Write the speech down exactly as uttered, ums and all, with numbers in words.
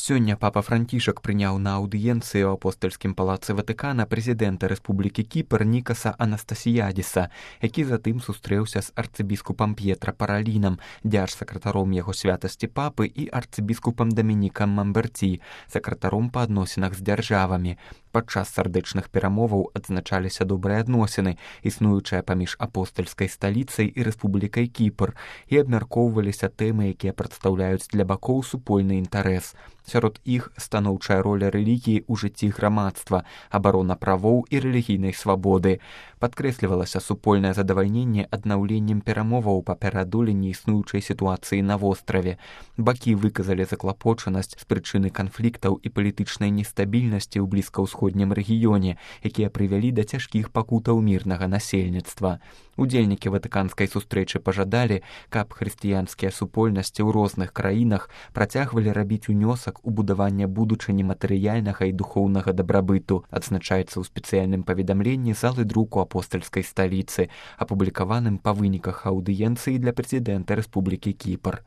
Сёння папа Францішак прыняў на аўдыенцыі ў апостальскім палацы Ватыкана прэзідэнта Рэспублікі Кіпр Нікаса Анастасіядзіса, які затым сустрэўся з арцыбіскупам П'етра Паралінам, дзяржсакратаром яго святасці папы і арцыбіскупам Дамінікам Мамберці, сакратаром па адносінах з дзяржавамі. Падчас сардэчных перамоваў адзначаліся добрыя адносіны, існуючыя паміж апостальскай сталіцай і Рэспублікай Кіпр, і абмяркоўваліся тэмы, якія прадстаўляюць для бакоў супольны інтарэс. Сярод іх станоўчая роля рэлігіі ў жыцці грамадства, абарона правоў і рэлігійнай свабоды. Падкрэслівалася супольнае задавальненне аднаўленнем перамоваў па пераадоленні існуючай сітуацыі на востраве. Бакі выказалі заклапочанасць з прычыны канфліктаў і палітычнай нестабільнасці ў блізкаўсходнім рэгіёне, якія прывялі да цяжкіх пакутаў мірнага насельніцтва. Удзельнікі ватыканскай сустрэчы пажадалі, каб хрысціянскія супольнасці ў розных краінах працягвалі рабіць унёсак у будаванне будучыні матэрыяльнага і духоўнага дабрабыту, адзначаецца ў спецыяльным паведамленні залы друку апостальскай сталіцы, апублікаваным па выніках аўдыенцыі для прэзідэнта Рэспублікі Кіпр.